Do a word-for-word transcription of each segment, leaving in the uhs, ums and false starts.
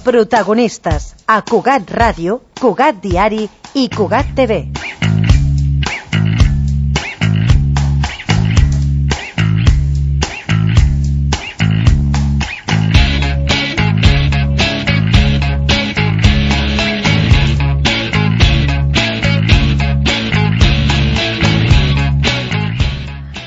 Protagonistes a Cugat Ràdio, Cugat Diari i Cugat T V.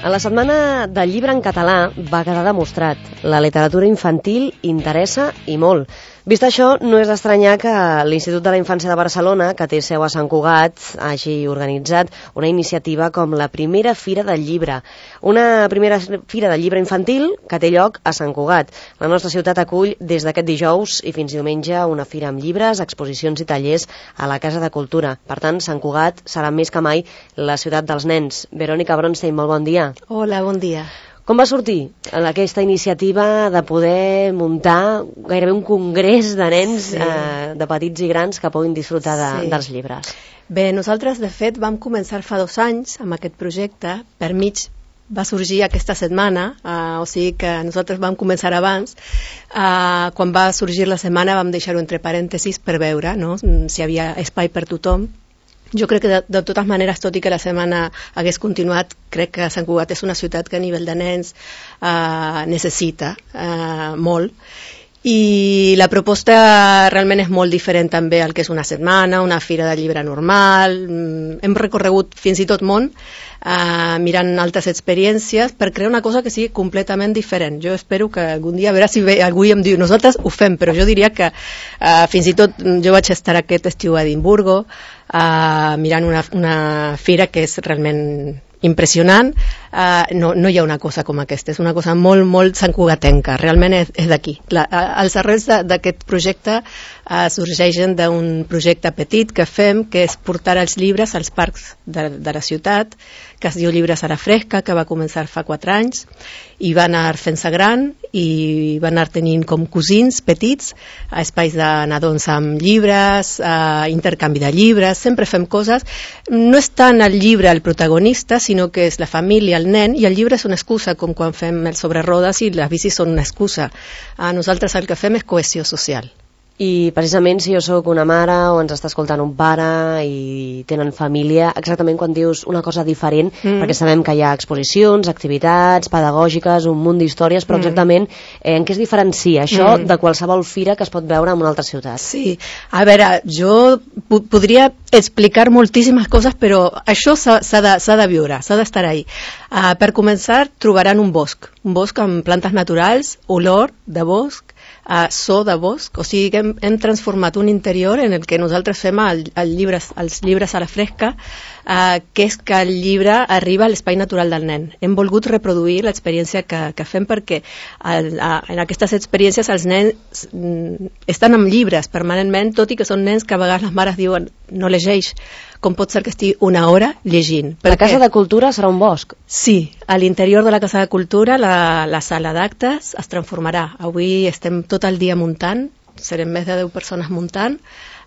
A la Setmana del Llibre en Català va quedar demostrat. La literatura infantil interessa i molt. Vist això, no és d'estranyar que l'Institut de la Infància de Barcelona, que té seu a Sant Cugat, hagi organitzat una iniciativa com la primera Fira del Llibre. Una primera Fira del Llibre infantil que té lloc a Sant Cugat. La nostra ciutat acull des d'aquest dijous i fins diumenge una fira amb llibres, exposicions i tallers a la Casa de Cultura. Per tant, Sant Cugat serà més que mai la ciutat dels nens. Verònica Bronstein, molt bon dia. Hola, bon dia. Com va sortir aquesta iniciativa de poder muntar gairebé un congrés de nens, sí. eh, de petits i grans, que puguin disfrutar de, sí. dels llibres? Bé, nosaltres, de fet, vam començar fa dos anys amb aquest projecte. Per mig va sorgir aquesta setmana, eh, o sigui que nosaltres vam començar abans. Eh, quan va sorgir la setmana vam deixar-ho entre parèntesis per veure, no?, si hi havia espai per tothom. Jo crec que de, de totes maneres, tot i que la setmana hagués continuat, crec que Sant Cugat és una ciutat que a nivell de nens eh, necessita eh, molt. I la proposta realment és molt diferent també al que és una setmana, una fira de llibre normal. Hem recorregut fins i tot món eh, mirant altres experiències per crear una cosa que sigui completament diferent. Jo espero que algun dia, a veure si ve, algú em diu, nosaltres ho fem, però jo diria que eh, fins i tot jo vaig estar aquest estiu a Edimburgo eh, mirant una, una fira que és realment impressionant. Uh, no, no hi ha una cosa com aquesta, és una cosa molt, molt santcugatenca, realment és, és d'aquí. Els arrels d'aquest projecte uh, sorgeixen d'un projecte petit que fem, que és portar els llibres als parcs de, de la ciutat, que es diu Llibres a la Fresca, que va començar fa quatre anys, i va anar fent-se gran, i va anar tenint com cosins petits, a espais de nadons amb llibres, a intercanvi de llibres, sempre fem coses. No és tant el llibre el protagonista, sinó que és la família, el nen, i el llibre és una excusa, com quan fem el sobre rodes i les bicis són una excusa. A nosaltres el que fem és cohesió social. I precisament si jo sóc una mare o ens està escoltant un pare i tenen família, exactament quan dius una cosa diferent, mm. perquè sabem que hi ha exposicions, activitats pedagògiques, un munt d'històries, però exactament eh, en què es diferencia això mm. de qualsevol fira que es pot veure en una altra ciutat? Sí, a veure, jo po podria explicar moltíssimes coses, però això s'ha de, de viure, s'ha d'estar ahí. Uh, per començar, trobaran un bosc, un bosc amb plantes naturals, olor de bosc, Uh, so de bosc, o sigui que hem, hem transformat un interior en el que nosaltres fem el, el llibres, els llibres a la fresca, uh, que és que el llibre arriba a l'espai natural del nen. Hem volgut reproduir l'experiència que, que fem perquè el, uh, en aquestes experiències els nens mm, estan amb llibres permanentment, tot i que són nens que a vegades les mares diuen no llegeix, com pot ser que estigui una hora llegint. La Casa de Cultura serà un bosc? Sí, a l'interior de la Casa de Cultura la, la sala d'actes es transformarà. Avui estem tot el dia muntant, serem més de deu persones muntant.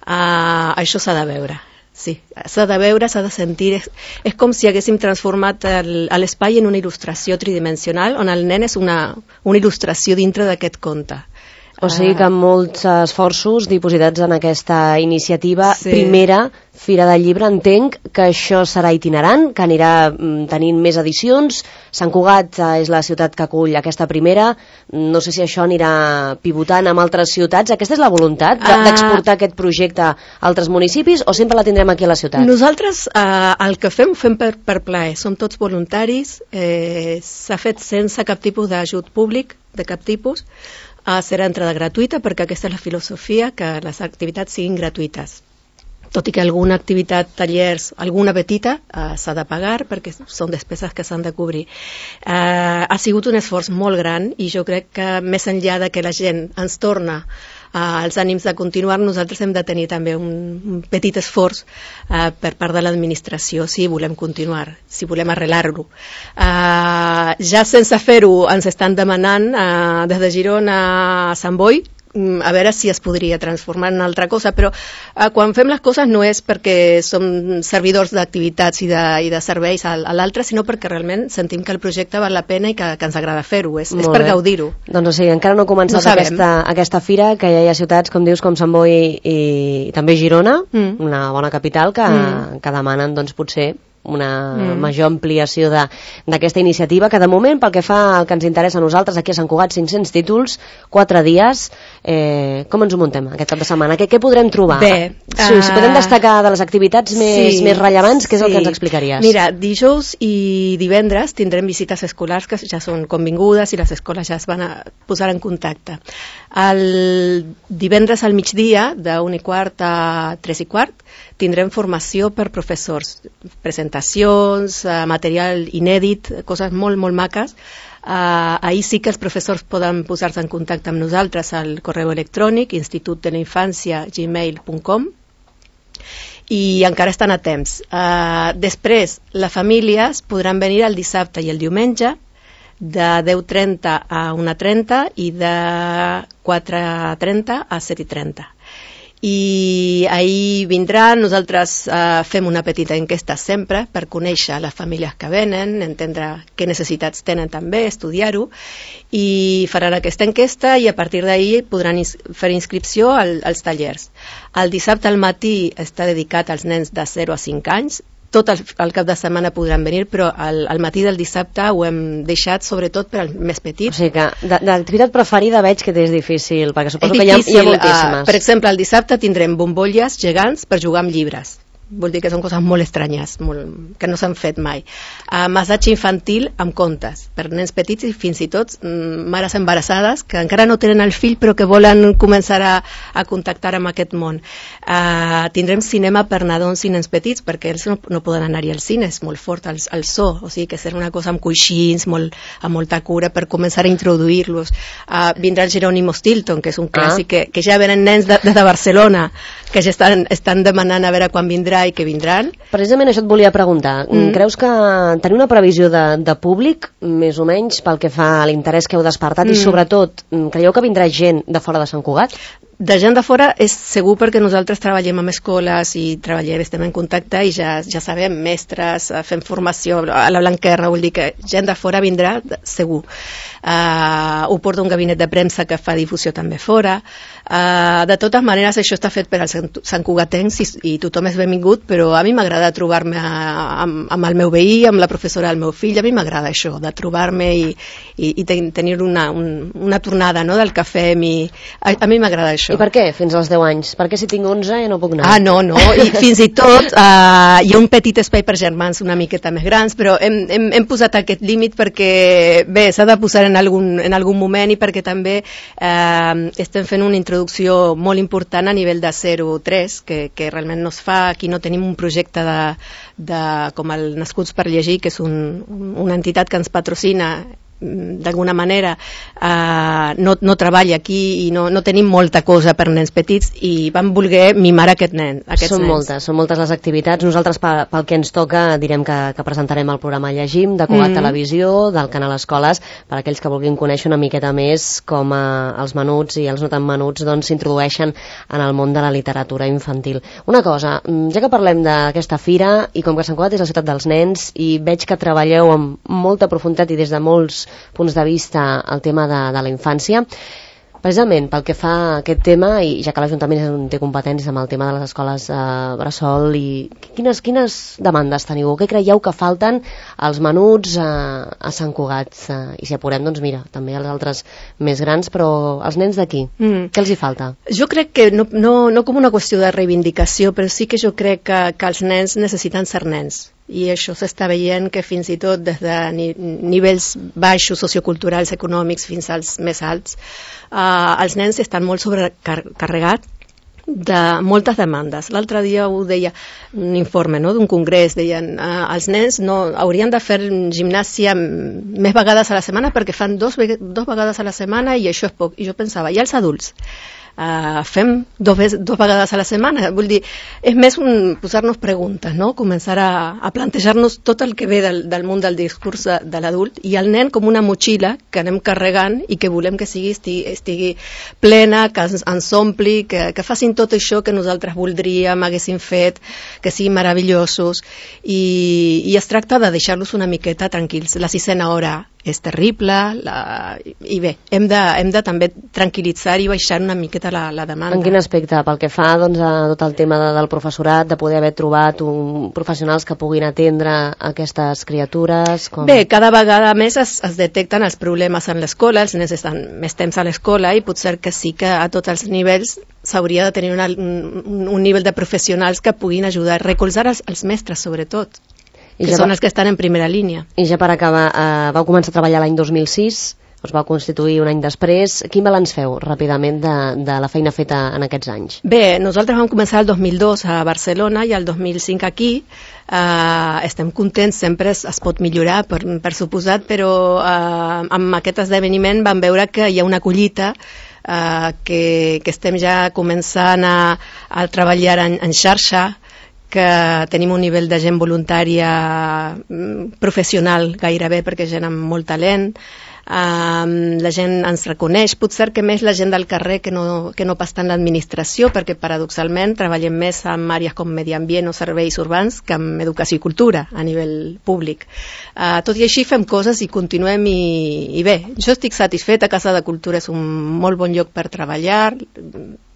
Uh, això s'ha de veure. Sí, s'ha de veure, s'ha de sentir. És, és com si haguéssim transformat l'espai en una il·lustració tridimensional, on el nen és una, una il·lustració dintre d'aquest conte. O sigui que amb molts esforços dipositats en aquesta iniciativa, sí. Primera Fira del Llibre, entenc que això serà itinerant, que anirà tenint més edicions. Sant Cugat és la ciutat que acull aquesta primera, no sé si això anirà pivotant amb altres ciutats. Aquesta és la voluntat d'exportar aquest projecte a altres municipis o sempre la tindrem aquí a la ciutat? Nosaltres eh, el que fem ho fem per, per plaer, som tots voluntaris, eh, s'ha fet sense cap tipus d'ajut públic, de cap tipus. Uh, serà entrada gratuïta perquè aquesta és la filosofia, que les activitats siguin gratuïtes. Tot i que alguna activitat, tallers, alguna petita, uh, s'ha de pagar perquè són despeses que s'han de cobrir. Uh, ha sigut un esforç molt gran i jo crec que més enllà de que la gent ens torna uh, els ànims de continuar, nosaltres hem de tenir també un, un petit esforç uh, per part de l'administració si volem continuar, si volem arrelar-lo. Uh, ja sense fer-ho ens estan demanant uh, des de Girona a Sant Boi a veure si es podria transformar en altra cosa, però eh, quan fem les coses no és perquè som servidors d'activitats i, de, i de serveis a, a l'altre, sinó perquè realment sentim que el projecte val la pena i que, que ens agrada fer-ho, és, és per gaudir-ho. Doncs o sigui, encara no ha començat no aquesta, aquesta fira, que ja hi ha ciutats, com dius, com Sant Boi i, i també Girona, mm. una bona capital, que, mm. que demanen doncs, potser una mm. major ampliació d'aquesta iniciativa, que de moment, pel que fa al que ens interessa a nosaltres, aquí a Sant Cugat, cinc-cents títols, quatre dies, eh, com ens ho muntem aquest cap de setmana? Què, què podrem trobar? Bé, si, uh... si podem destacar de les activitats més, sí, més rellevants, què és sí. el que ens explicaries? Mira, dijous i divendres tindrem visites escolars que ja són convingudes i les escoles ja es van a posar en contacte. El divendres al migdia, d'un i quart a tres i quart, tindrem formació per professors, presentacions, eh, material inèdit, coses molt, molt maques. Eh, ahir sí que els professors poden posar-se en contacte amb nosaltres al correu electrònic institut de la infància gmail punt com i encara estan a temps. Eh, després, les famílies podran venir el dissabte i el diumenge de deu trenta a una trenta i de quatre trenta a set i trenta. I ahir vindran, nosaltres eh, fem una petita enquesta sempre per conèixer les famílies que venen, entendre què necessitats tenen també, estudiar-ho, i faran aquesta enquesta i a partir d'ahir podran ins fer inscripció al, als tallers. El dissabte al matí està dedicat als nens de zero a cinc anys, tot el, el cap de setmana podran venir, però al, al matí del dissabte ho hem deixat sobretot per als més petits. O sigui que d'activitat preferida veig que és difícil, perquè suposo és que hi ha, difícil, hi ha moltíssimes. Uh, per exemple, el dissabte tindrem bombolles gegants per jugar amb llibres. Vol dir que són coses molt estranyes, molt, que no s'han fet mai. Uh, massatge infantil amb contes, per nens petits i fins i tot mm, mares embarassades que encara no tenen el fill però que volen començar a, a contactar amb aquest món. Uh, tindrem cinema per nadons i nens petits perquè ells no, no poden anar-hi al cine, és molt fort el, el so, o sigui que serà una cosa amb coixins, molt, amb molta cura per començar a introduir-los. Uh, vindrà el Jerónimo Stilton, que és un clàssic ah. que, que ja venen nens de, des de Barcelona, que ja estan, estan demanant a veure quan vindrà i que vindran. Precisament això et volia preguntar. Mm. Creus que tenir una previsió de, de públic, més o menys, pel que fa a l'interès que heu despertat, mm. i sobretot, creieu que vindrà gent de fora de Sant Cugat? De gent de fora és segur perquè nosaltres treballem amb escoles i treballem, estem en contacte i ja, ja sabem, mestres, fem formació a la Blanquerna, vull dir que gent de fora vindrà segur. Uh, ho porta un gabinet de premsa que fa difusió també fora. Uh, de totes maneres, això està fet per als santcugatencs i, i tothom és benvingut, però a mi m'agrada trobar-me amb, amb el meu veí, amb la professora del meu fill, a mi m'agrada això, de trobar-me i, i, i ten, tenir una, un, una tornada, no?, del que fem i a, a mi m'agrada això. I per què fins als deu anys? Per què si tinc onze ja no puc anar? Ah, no, no, i fins i tot uh, hi ha un petit espai per germans una miqueta més grans, però hem, hem, hem posat aquest límit perquè, bé, s'ha de posar en algun, en algun moment i perquè també eh, estem fent una introducció molt important a nivell de zero a tres, que, que realment no es fa, aquí no tenim un projecte de, de, com el Nascuts per Llegir, que és un, una entitat que ens patrocina d'alguna manera, eh, no, no treballa aquí i no, no tenim molta cosa per nens petits i vam voler mimar aquest nen, aquests són nens. moltes, són moltes les activitats. Nosaltres pel, pel que ens toca direm que, que presentarem el programa Llegim de Cugat mm. Televisió, del canal Escoles, per aquells que vulguin conèixer una miqueta més com eh, els menuts i els no tan menuts doncs s'introdueixen en el món de la literatura infantil. Una cosa, ja que parlem d'aquesta fira i com que Sant Cugat és la ciutat dels nens i veig que treballeu amb molta profunditat i des de molts punts de vista el tema de, de la infància, precisament pel que fa a aquest tema, i ja que l'Ajuntament té competències amb el tema de les escoles eh, bressol, i quines, quines demandes teniu? Què creieu que falten als menuts eh, a Sant Cugat? Eh, I si apurem, doncs mira, també als altres més grans, però els nens d'aquí, mm. què els hi falta? Jo crec que no, no, no com una qüestió de reivindicació, però sí que jo crec que, que els nens necessiten ser nens. I això s'està veient que fins i tot des de ni, nivells baixos socioculturals, econòmics, fins als més alts, eh, els nens estan molt sobrecarregats de moltes demandes. L'altre dia ho deia un informe, no?, d'un congrés, deien eh, els nens no, haurien de fer gimnàsia més vegades a la setmana perquè fan dos, dos vegades a la setmana i això és poc. I jo pensava, i els adults? Uh, fem dos, dos vegades a la setmana. Vull dir, és més un, posar-nos preguntes, no? Començar a, a plantejar-nos tot el que ve del, del món del discurs de, de l'adult i el nen com una motxilla que anem carregant i que volem que sigui, estigui, estigui plena, que ens, ens ompli, que, que facin tot això que nosaltres voldríem, haguéssim fet, que siguin meravellosos i, i es tracta de deixar-los una miqueta tranquils. La sisena hora és terrible la... i bé, hem de, hem de també tranquil·litzar i baixar una miqueta la, la demanda. En quin aspecte? Pel que fa doncs, a tot el tema de, del professorat, de poder haver trobat un, professionals que puguin atendre aquestes criatures? Com... Bé, cada vegada més es, es detecten els problemes en l'escola, els nens estan més temps a l'escola i potser que sí que a tots els nivells s'hauria de tenir una, un, un nivell de professionals que puguin ajudar, recolzar els, els mestres sobretot. I que ja són els que estan en primera línia. I ja per acabar, eh, vau començar a treballar l'any dos mil sis, us vau constituir un any després. Quin balanç feu ràpidament de, de la feina feta en aquests anys? Bé, nosaltres vam començar el dos mil dos a Barcelona i el dos mil cinc aquí. Eh, estem contents, sempre es, es pot millorar, per, per suposat, però eh, amb aquest esdeveniment vam veure que hi ha una collita eh, que, que estem ja començant a, a treballar en, en xarxa, que tenim un nivell de gent voluntària professional gairebé, perquè gent amb molt talent, um, la gent ens reconeix, potser que més la gent del carrer que no, que no pas tant l'administració, perquè paradoxalment treballem més amb àrees com medi ambient o serveis urbans que amb educació i cultura a nivell públic. Uh, tot i així fem coses i continuem i, i bé, jo estic satisfeta, Casa de Cultura és un molt bon lloc per treballar,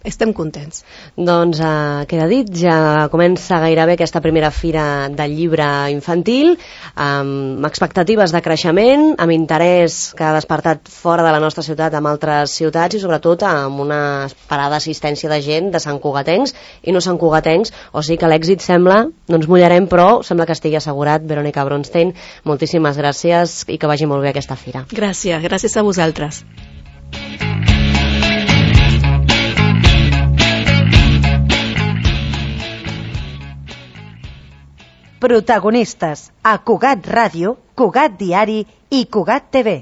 estem contents. Doncs eh, queda dit, ja comença gairebé aquesta primera fira del llibre infantil, amb expectatives de creixement, amb interès que ha despertat fora de la nostra ciutat amb altres ciutats i sobretot amb una esperada assistència de gent de santcugatencs i no santcugatencs, o sigui que l'èxit sembla, no ens mullarem, però sembla que estigui assegurat. Verónica Bronstein, moltíssimes gràcies i que vagi molt bé aquesta fira. Gràcies, gràcies a vosaltres. Protagonistes a Cugat Ràdio, Cugat Diari i Cugat T V.